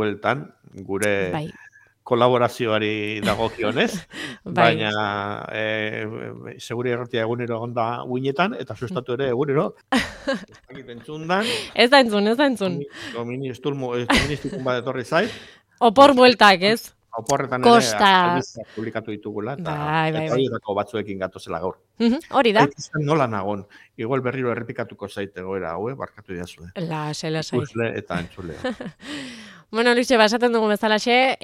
bueltan, gure Bai. kolaborazioari dagokionez, Bai. baina seguri erratia egunero onda uinetan, eta sustatu ere egunero, ez dakit entzundan, Ez da entzun. doministikun bat etorri zait, Opor bueltak, ez? oporretan Kosta. ere albistak publikatu ditugula, eta Bai. horietako batzuekin gatozela gaur. Hori da. Haitizan nola nagon, igual berriro errepikatuko zaite goera, barkatu idazue. Lasai. Ikusle eta entzulea. Bueno, Luis, esaten dugu bezalaxe,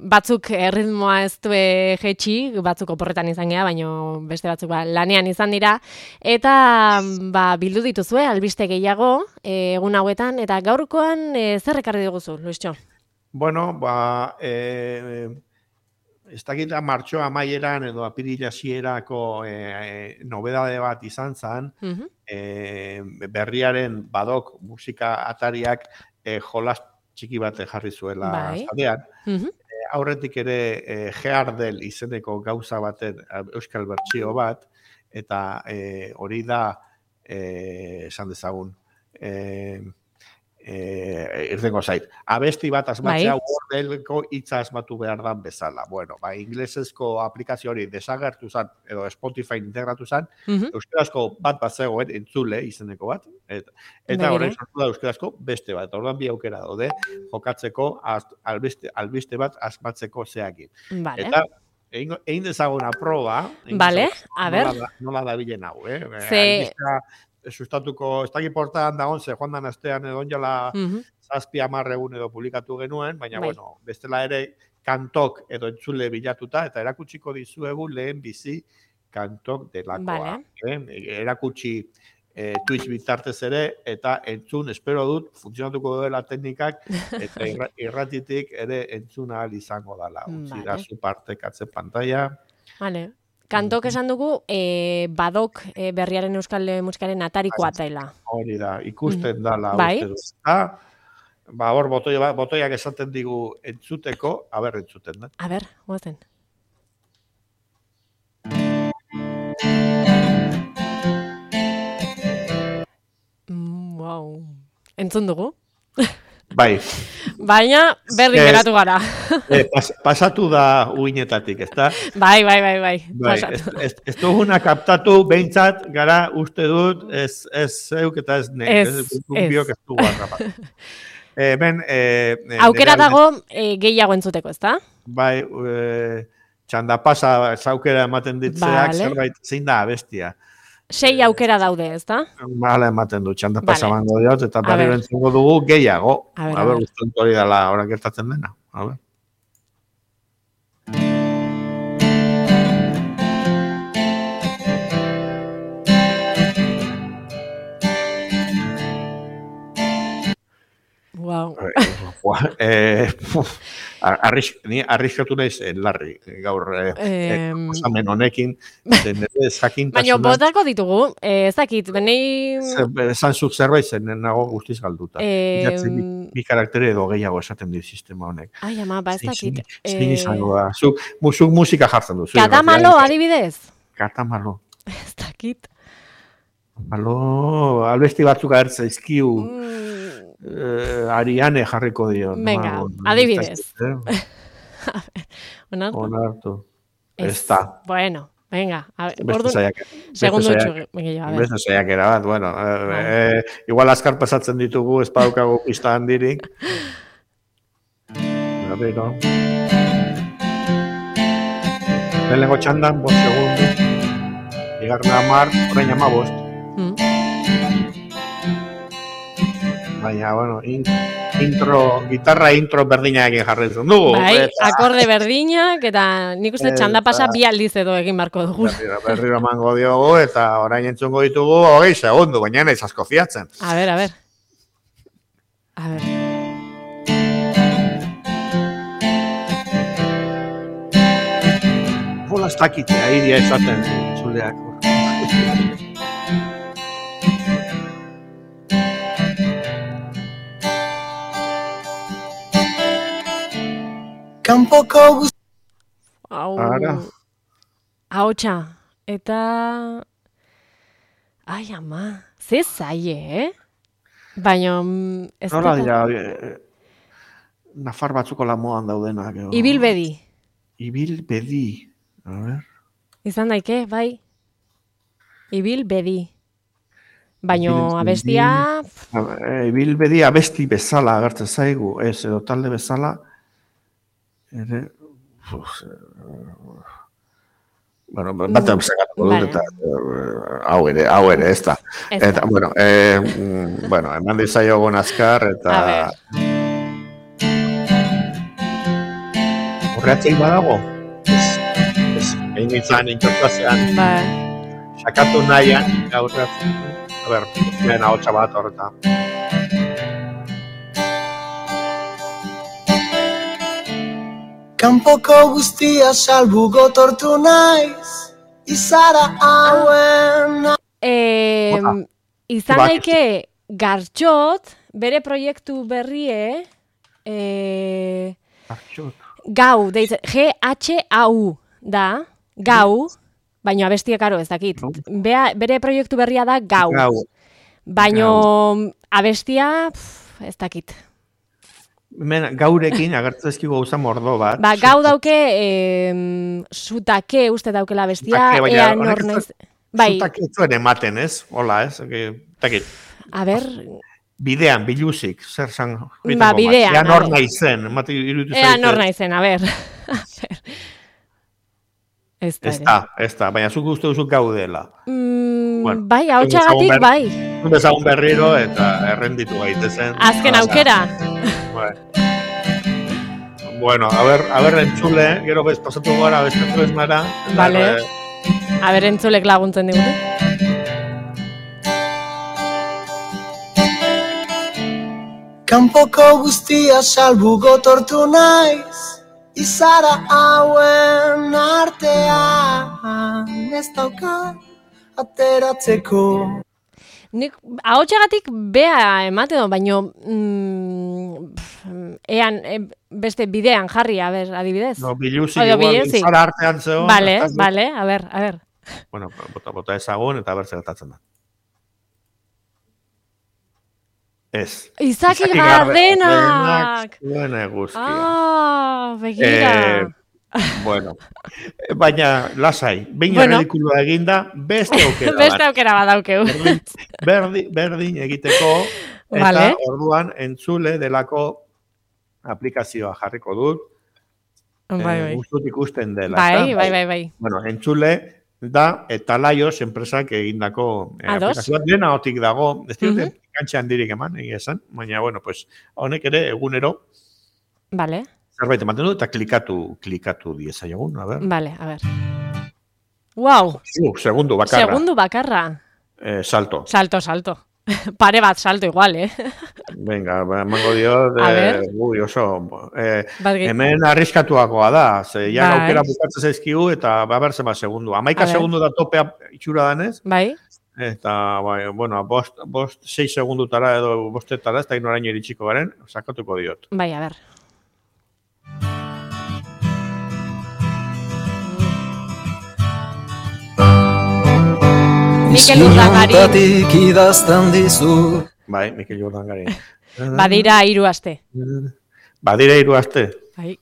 batzuk erritmoa ez du jetxi, batzuk oporretan izan gea, baina beste batzuk lanean izan dira, eta bildu dituzue, albiste gehiago, egun hauetan, eta gaurkoan zer ekarri diguzu, Luistxo? Bueno, ez dakit martxoa amaieran edo apirila hasierako nobedade bat izan zen, berriaren badok musika atariak jolas txiki bat jarri zuela zadean. Aurretik ere Geardel izeneko gauza baten euskal bertsio bat, eta hori da, esan dezagun, irtengo zait. Abesti bat asmatzea Wordelko hitza asmatu behar dan bezala. Bueno, inglesezko aplikazio hori desagertu zen, edo Spotify integratu zen, euskarazko bat zegoen entzule izeneko bat, eta horrein sortu da euskarazko beste bat. Orduan bi aukera daude, jokatzeko albiste bat asmatzeko zeakin. Eta egin dezaguna proba, nola da bilen hau, albistea sustatuko, ez dakit portaan dagoen, ze joan dan astean edo onjala 7-10 egun edo publikatu genuen, baina, bueno, bestela ere kantok edo entzule bilatuta, eta erakutsiko dizuegu lehen bizi kantok delakoa. Erakutsi Twitch bitartez ere, eta entzun, espero dut, funtzionatuko dela teknikak, eta irratitik ere entzun ahal izango dela. Utsi da zu partekatzen pantalla. Vale. Kantok esan dugu, badok berriaren euskal musikaren atarikoa dela. Hori da, ikusten dala uste dut. Hor botoiak esaten digu entzuteko, entzuten da. Goazen. Wow. Entzun dugu? Bai. Baina berdin geratu gara. Pasatu da uinetatik, ezta? Bai. Ez duguna kaptatu, behintzat gara uste dut, ez zeuk eta ez nek. Ez dugu atrapatu. Aukera dago gehiago entzuteko, ezta? Bai, txandapasa zaukera ematen ditzeak, zerbait zein da abestia. 6 aukera daude, ezta? Bala ematen du, txandapasa bango diot, eta berriro entzungo dugu gehiago. Guztun hori dela horak gertatzen dena. Wow. Arriskatu naiz larri gaur osamen honekin. Baina botako ditugu, ezakit, benei... Zantzuk zerbait zen nago guztiz galduta. Bi karaktere edo gehiago esaten dit sistema honek. Ai, ama, ezakit. Zin izango da. Zuk musika jartzen du. Katamalo, adibidez? Katamalo. Ezakit. Albesti batzuk agertza izkiu... Ariane jarriko dio. Venga, adibidez. Onartu. Ez da. Bueno, venga. Beste zaiakera. Beste zaiakera bat, bueno. Igual azkar pasatzen ditugu, ez paukago pista handirik. Pero... Lehenengo txandan, 5 segundu. Bigarren 10, orain 15. Baina, bueno, gitarra intro berdinak egin jarretzen dugu. Bai, akorde berdinak, eta nik uste txanda pasa 2 aldiz edo egin barko dugu. Berriro emango diogu, eta orain entzungo ditugu 20 segundu, baina nahiz asko fiatzen. A ver. Hola, ez dakite, airia esaten zuleak. Kanpoko Ahotsa. Eta... Ai, ama. Ze zaie, Baina... Nola dira... nafar batzuko lamoan daudenak. Ibilbedi. Ibilbedi. A ver. Izan daike, bai. Ibilbedi. Baino abestia... Ibilbedi abesti bezala agertzen zaigu, ez, edo talde bezala. Ere... Bueno, bat egin dut, eta hau ere, ez da. Eta, bueno, eman dizaiogun azkar, eta... Horreatzei badago? Ez, egin izan inkortazioan. Sakatu nahian, horreatzei. A ber, lehen ahotsa bat horreta. Kanpoko guztia salbu gotortu naiz, izara hauen... Izan daike Gartxot, bere proiektu berrie, Gau, G-H-A-U da, Gau, baina abestia karo ez dakit. Bere proiektu berria da Gau. Baina abestia ez dakit. Gaurekin agertzen ezkigu gauza mordo bat. Gau dauke zutake uste daukela bestia. Zutake zuen ematen, ez? Hola, ez? A ber... Bidean, biluzik, zer zan... Bidean. Ea nor naizen. Ea nor naizen, a ber. Ez da, baina zuk uste duzuk gaudela. Bai, hau txagatik, bai. Bezagun berriro eta errenditu gaitezen. Azken aukera. Bueno, a ber entzule, gero bez pasatu gara, bestatu ez mara. Vale. A ber entzulek laguntzen digute. Kanpoko guztia salbu gotortu naiz, izara hauen artean ez dauka ateratzeko. Nik ahotsagatik bea ematen do, baino ean beste bidean jarri, a ber, adibidez. No, biluzik igual, izara artean zeo. Vale, a ber. Bueno, bota ezagun eta ber zertatzen da. Ez. Izaki Gardenak! Buena eguzkia. Begira. Bueno, baina lasai, baina ridikulua eginda, beste aukera bat. Beste aukera bat daukeu. Berdin egiteko, eta orduan entzule delako aplikazioa jarriko dut. Guztut ikusten dela. Bai. Bueno, entzule da, eta Laios enpresak egindako aplikazioa. Dena hotik dago, ez dute kantxe handirik eman, egia esan, baina, bueno, pues, honek ere egunero zerbait ematen du, eta klikatu diezaiogun, a ber. Vale, a ber. Wow! Segundu bakarra. Salto. Pare bat salto igual, Venga, emango dio, oso, hemen arriskatuakoa da, ze ja aukera bukatzen zaizkigu, eta baber zema segundu. 11 segundu da topea itxura danez. Bai. Eta, bueno, 6 segundutara edo bostetara, ez da inoraino iritsiko garen, sakatuko diot. Bai, a ber. Mikel Urdangari. Bai, Mikel Urdangari. Badira 3 aste. Badira 3 aste? Bai.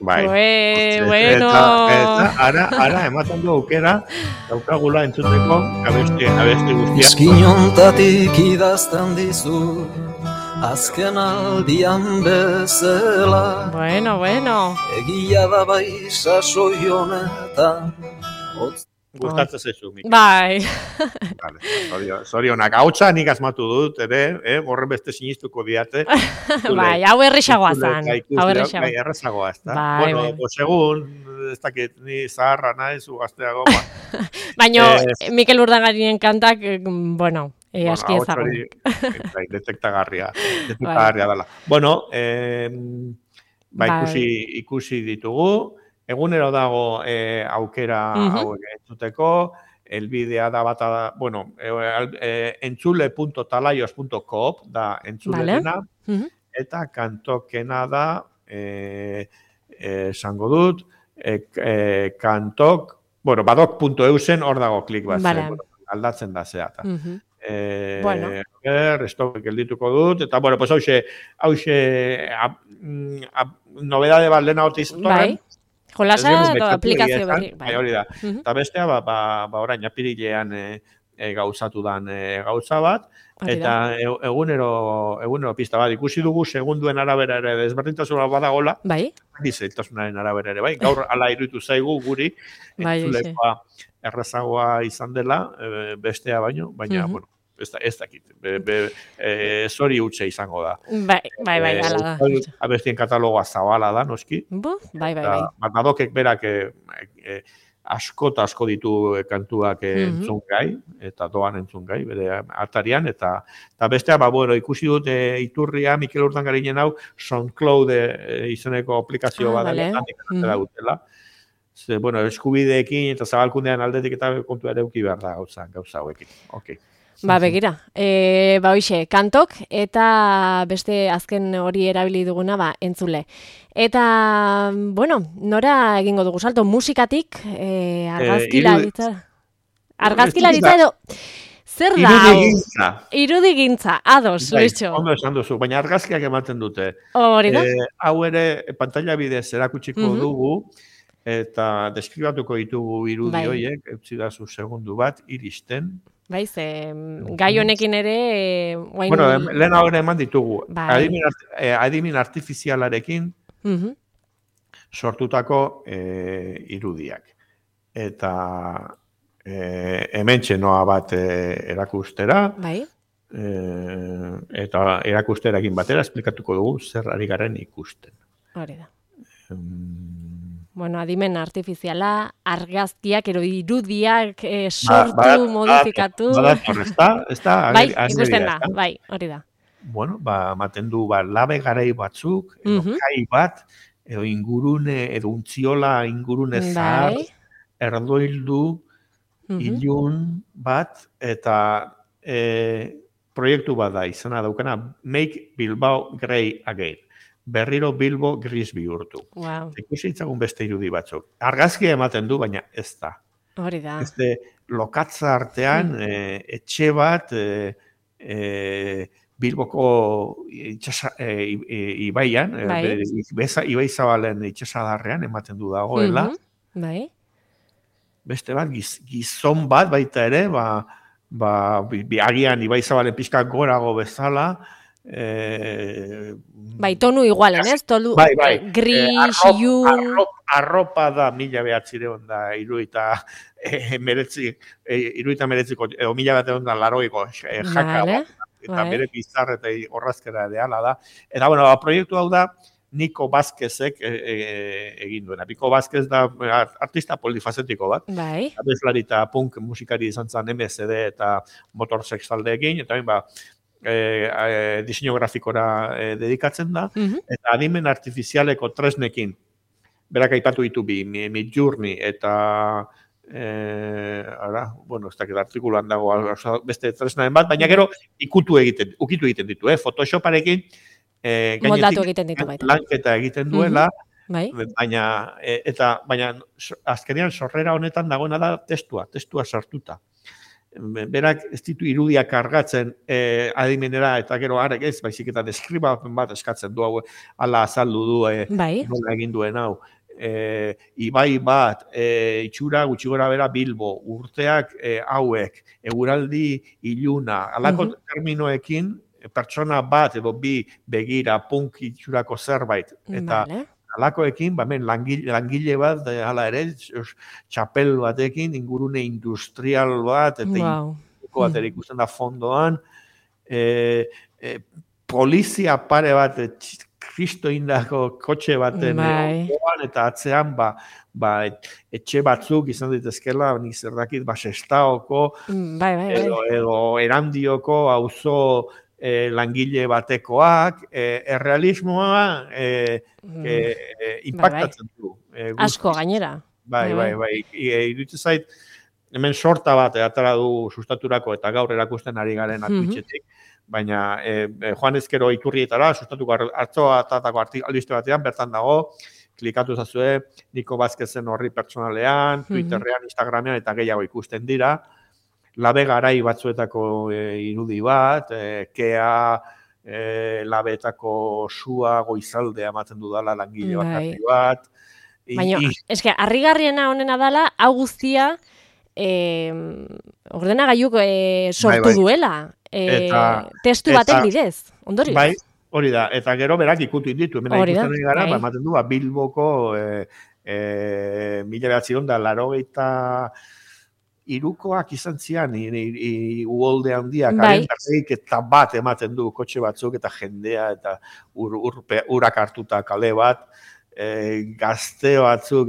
Bueno. Eta ara ematen du aukera daukagula entzuteko abesti guztia. Izkinontatik idazten dizu azken aldian bezala. Bueno. Egia da bai sasoi honetan. Gustatzen zaizu, Mikel. Bai. Zorionak. Ahotsa nik asmatu dut, ere, horren beste sinistuko diate. Bai, hau erresagoa zan. Bai, erresagoa, ez da. Bueno, segun, ez dakit, ni zaharra nahi, zu gazteago. Baina, Mikel Urdangarinen kantak, bueno, aski ezagun. Detektagarria dela. Bueno, ikusi ditugu. Egunero dago aukera hauek entzuteko, elbidea da bat, bueno, entzule.talaios.coop da entzulena, eta kantokena da, esango dut, kantok, bueno, badok.eusen hor dago klik bat. aldatzen da zeata. Bueno. Estok geldituko dut, eta, bueno, pues hause nobedade bat lehena hoti izatorren. Jolasa eta aplikazio berri. Bai, hori da. Eta bestea, orain apirilean gauzatu dan gauza bat, eta egunero pista bat. Ikusi dugu segunduen arabera ere desberdintasuna badagola, zailtasunaren arabera ere, bai. Gaur ala iruditu zaigu guri, entzulekoa errazagoa izan dela, bestea baina, bueno, ez dakit, zori utxe izango da. Bai, ala da. Abestien katalogoa zabala da, noski. Bai. Badokek berak asko ditu kantuak entzun gai, eta doan entzun gai, bere atarian, eta bestea, bueno, ikusi dut iturria, Mikel Urdangarinen hau, SoundCloud izeneko aplikazio badela, eta dutela. Bueno, eskubideekin eta zabalkundean aldetik eta kontua ere uki behar da gauza hauekin. Okay. Begira, hoxe, kantok eta beste azken hori erabili duguna, entzule. Eta, bueno, nora egingo dugu salto musikatik, argazkilaritza edo, zer da? Irudigintza, ados, zuritxo. Ondo esan duzu, baina argazkiak ematen dute. Hori da? Hau ere, pantalla bidez erakutsiko dugu, eta deskribatuko ditugu irudi horiek, eutzidazu segundu bat, iristen. Gai honekin ere... Bueno, lehen hori eman ditugu. Adimin artifizialarekin sortutako irudiak. Eta hemen txenoa bat erakustera. Eta erakusterakin batera esplikatuko dugu zer ari garen ikusten. Hori da. Bueno, adimen artifiziala, argazkiak, irudiak sortu, modifikatu. Ikusten da, hori da. Bueno, ematen du labe garai batzuk, edo kai bat, edo ingurune, edo untziola ingurune zahar, erdoildu, ilun bat, eta proiektu bat da, izena daukana, Make Bilbao Grey Again. Berriro Bilbo gris bihurtu. Ikusi itzagun beste irudi batzuk. Argazkia ematen du, baina ez da. Hori da. Lokatza artean, etxe bat, Bilboko ibaian, Ibai Zabalen itxasadarrean ematen du dagoela. Beste bat, gizon bat baita ere, agian Ibai Zabalen pixka gorago bezala, tonu igualen, ez? Gris, iun... Arropa da 1900 da iruita meretziko, edo 1980ko jaka, eta bere bizarre eta horrazkera ere ala da. Eta, bueno, proiektu hau da, Niko Vázquezek egin duena. Niko Vázquez da artista polifacetiko bat. Abeslari eta punk musikari izan zen MSD eta Motorsex taldeekin, eta diseinu grafikora dedikatzen da, eta adimen artifizialeko tresnekin, berak aipatu ditu Midjourney eta bueno, ez dakit artikuluan dago beste tresnaren bat, baina gero ukitu egiten ditu, Photoshoparekin moldatu egiten ditu baita. Lanketa egiten duela, baina azkenean sorrera honetan dagoena da testua sartuta. Berak ez ditu irudiak kargatzen adimenera eta gero harek ez, baizik eta deskribapen bat eskatzen du hau, ala azaldu du nola egin duen hau. Ibai bat, itxura gutxi gora bera Bilbo, urteak hauek, eguraldi iluna, alako terminoekin pertsona bat edo bi begira punk itxurako zerbait, eta alakoekin, langile bat, hala ere, txapel batekin, ingurune industrial bat, eta bat ere ikusten da fondoan, polizia pare bat, kristo indako kotxe baten, eta atzean, etxe batzuk izan ditezkela, nik zerdakit, sestaoko, edo Erandioko, auzo langile batekoak, errealismoa impactatzen du. Asko gainera. Bai. Iruditzen zait, hemen sorta bat atara du sustaturako eta gaur erakusten ari garen Twitchetik, baina joan ezkero iturrietara, sustatuko hartzoatako albiste batean, bertan dago, klikatu zazue, Niko Vázquezen horri pertsonalean, Twitterrean, Instagramean, eta gehiago ikusten dira. labe garai batzuetako irudi bat, kea labetako sua goizaldea ematen dudala langile bakarri bat. Baina, eske, harrigarriena honena dala, hau guztia ordenagailuk sortu duela. Testu baten bidez, ondorioz. Bai, hori da, eta gero berak ikutu ditu, hemen ikusten gara, ematen du, Bilboko 1983koak izan zian, uholde handiak, eta bat ematen du kotxe batzuk, eta jendea, eta urak hartuta kale bat, gazte batzuk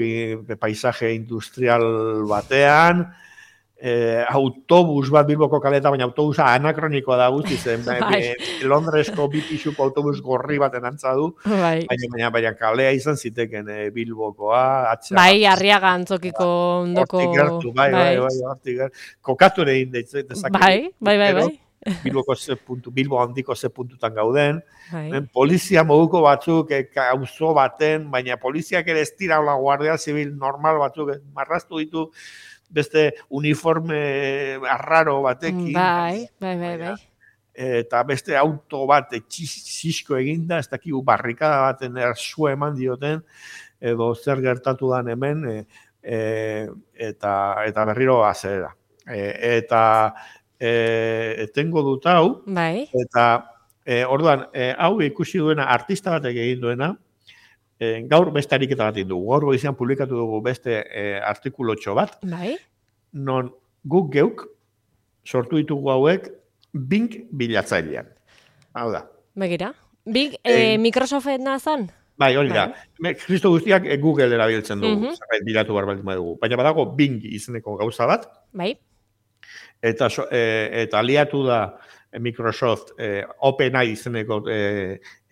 paisaje industrial batean, autobus bat Bilboko kaleta, baina autobusa anakronikoa da guzti zen, Londresko bitixuko autobus gorri baten antza du, baina kalea izan ziteken Bilbokoa. Bai, Arriaga antzokiko ondoko. Hortik gertu, bai. Kokatu ere dezakegu. Bai. Bilbo handiko ze puntutan gauden. Polizia moduko batzuk, auzo baten, baina poliziak ere ez dira guardia zibil normal batzuk, marraztu ditu, beste uniforme arraro batekin. Bai. Eta beste auto bat txisko eginda, ez dakigu barrikada baten ersua eman dioten, edo zer gertatu dan hemen, eta berriro azera. Eta etengo dut hau, eta orduan, hau ikusi duena, artista batek egin duena, gaur beste ariketa bat dugu. Gaur goizean publikatu dugu beste artikulotxo bat. Non guk geuk sortu ditugu hauek Bing bilatzailean. Hau da. Begira. Bing Microsoftena zan? Bai, hori da. Kristo guztiak Google erabiltzen dugu. Zerbait bilatu behar baldin badugu. Baina badago Bing izeneko gauza bat. Bai. Eta aliatu da Microsoft OpenAI izeneko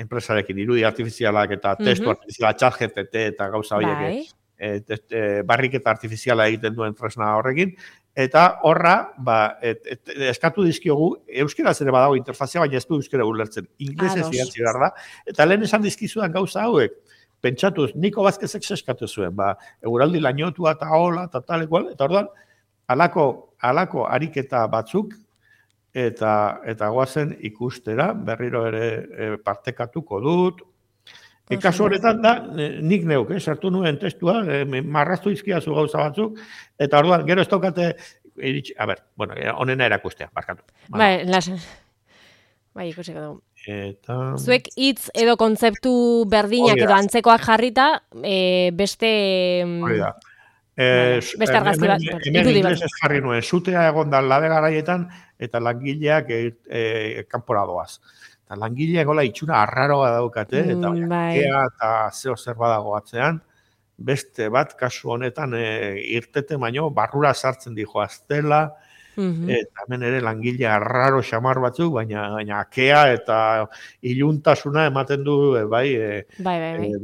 enpresarekin irudi artifizialak eta testu artifiziala, ChatGPT eta gauza horiek barriketa artifiziala egiten duen tresna horrekin, eta horra eskatu dizkiogu, euskeraz ere badago interfazia, baina ez du euskera ulertzen, inglesez idatzi behar da, eta lehen esan dizkizudan gauza hauek, pentsatuz, Niko Vazquezek eskatu zuen, eguraldi lainotua eta hola, eta tal, eta orduan, halako ariketa batzuk, eta guazen ikustera, berriro ere partekatuko dut. Kasu horretan da, nik neuk, sartu nuen testua, marraztu izkiazu gauza batzuk, eta orduan, gero ez daukate, honena erakustea, barkatu. Bai, ikusiko dugu. Zuek hitz edo kontzeptu berdinak edo antzekoak jarrita, beste... beste argazki bat. Hemen inglesez jarri nuen, zutea egon da labe garaietan, eta langileak kanpora doaz. Eta langileak gola itxura arraroa daukate, eta kea eta zeo zer badago atzean, beste bat kasu honetan irtete baino, barrura sartzen dijo aztela, eta hemen ere langile arraro xamar batzuk, baina kea eta iluntasuna ematen du,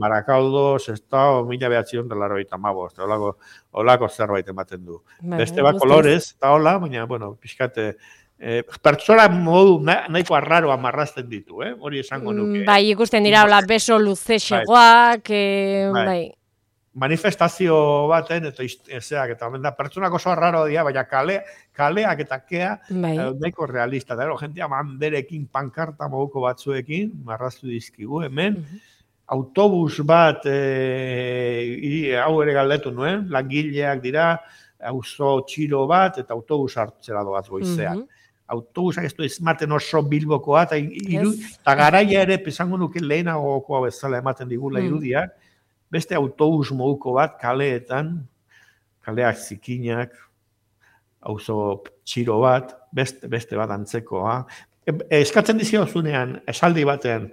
Barakaudo, Sestao, 1985, holako zerbait ematen du. Beste bat kolorez, eta hola, baina, pixkate, pertsona modu nahiko arraroa marrazten ditu, hori esango nuke. Bai, ikusten dira, hola, beso luzexegoak, bai. Manifestazio baten, eta ezeak, eta pertsonak oso arraro dira, baina kaleak eta kea nahiko realista. Da, jentea banderekin, pankarta moduko batzuekin, marraztu dizkigu hemen, autobus bat, hau ere galdetu nuen, langileak dira, auzo txiro bat, eta autobus hartzera doaz goizean. Autobusak ez du ematen oso Bilbokoa, eta garaia ere, pesango nuke lehenagokoa bezala ematen digula irudiak, beste autobus moduko bat, kaleetan, kaleak zikinak, auzo txiro bat, beste bat antzekoa. Eskatzen diziozunean, esaldi batean,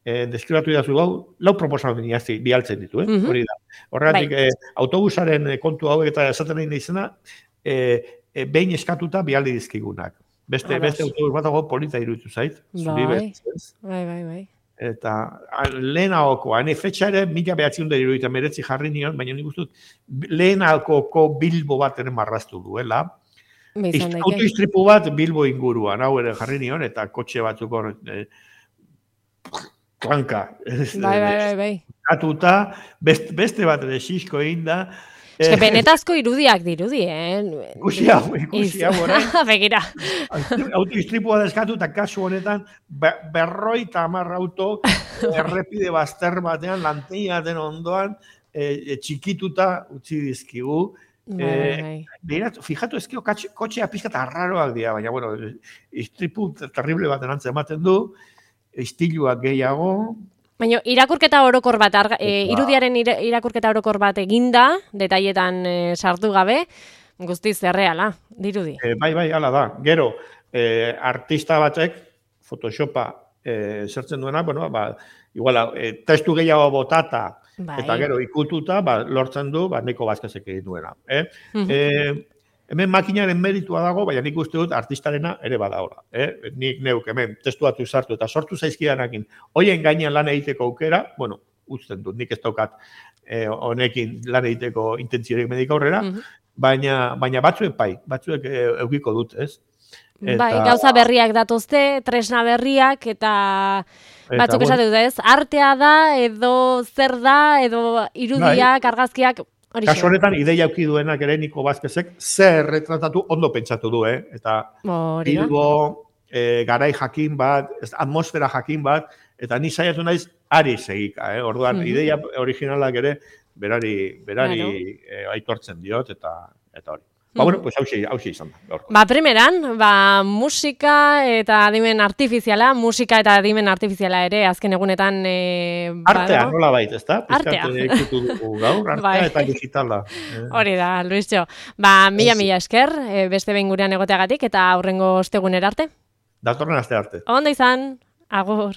deskribatu idazu lau proposamen bialtzen ditu, hori da. Horregatik, autobusaren kontu hauek eta esaten nahi izena, behin eskatuta bialdi dizkigunak. Beste autobus bat dago polita iruditu zait. Bai. Eta lehenagoko, fetxa ere 1989 jarri nion, baina nik uste dut lehenagoko Bilbo bat ere marraztu duela. Autoistripu bat Bilbo inguruan, hau ere jarri nion, eta kotxe batzuk hor klanka. Bai. Atuta, beste bat ere xisko egin da, Eske benetazko irudiak dirudi, Ikusi hau, orain. Begira. Autoistripua deskatu, eta kasu honetan, 50 auto errepide bazter batean, lantegiaten ondoan, txikituta utzi dizkigu. Fijatu ezkio, kotxea pizkat arraroak dira, baina, bueno, istripu terrible bat enantzen ematen du, istiluak gehiago. Baina, irakurketa orokor bat, irudiaren irakurketa orokor bat eginda, detailetan sartu gabe, guztiz erreala, dirudi. Bai, hala da. Gero, artista batek, Photoshopa zertzen duena, bueno, igual, testu gehiago botata, eta gero ikututa, lortzen du, Neko Vázquezek egin duena. Hemen makinaren meritua dago, baina nik uste dut artistarena ere badagola. Nik neuk hemen testu batu sartu eta sortu zaizkidanakin, hoien gainean lan egiteko aukera, bueno, uzten dut, nik ez daukat honekin lan egiteko intentziorik medik aurrera, baina batzuek eukiko dut, ez? Bai, gauza berriak datozte, tresna berriak, eta batzuk esate dut, ez? Artea da, edo zer da, edo irudiak, argazkiak... Kasu honetan, ideia auki duenak ere Neko Vázquezek zer retratatu ondo pentsatu du, eta bilbo, garai jakin bat, atmosfera jakin bat, eta ni saiatu naiz ari segika, orduan, ideia originalak ere berari aitortzen diot, eta hori. Bueno, pues hauxe izan da. Primeran, musika eta adimen artifiziala, musika eta adimen artifiziala ere, azken egunetan... Artea, nola bait, ez da? Artea. Ikutu dugu gaur, artea eta digitala. Hori da, Luisjo. Mila esker, beste behin gurean egoteagatik, eta aurrengo ostegunera arte. Datorren aste arte. Ondo izan, agur.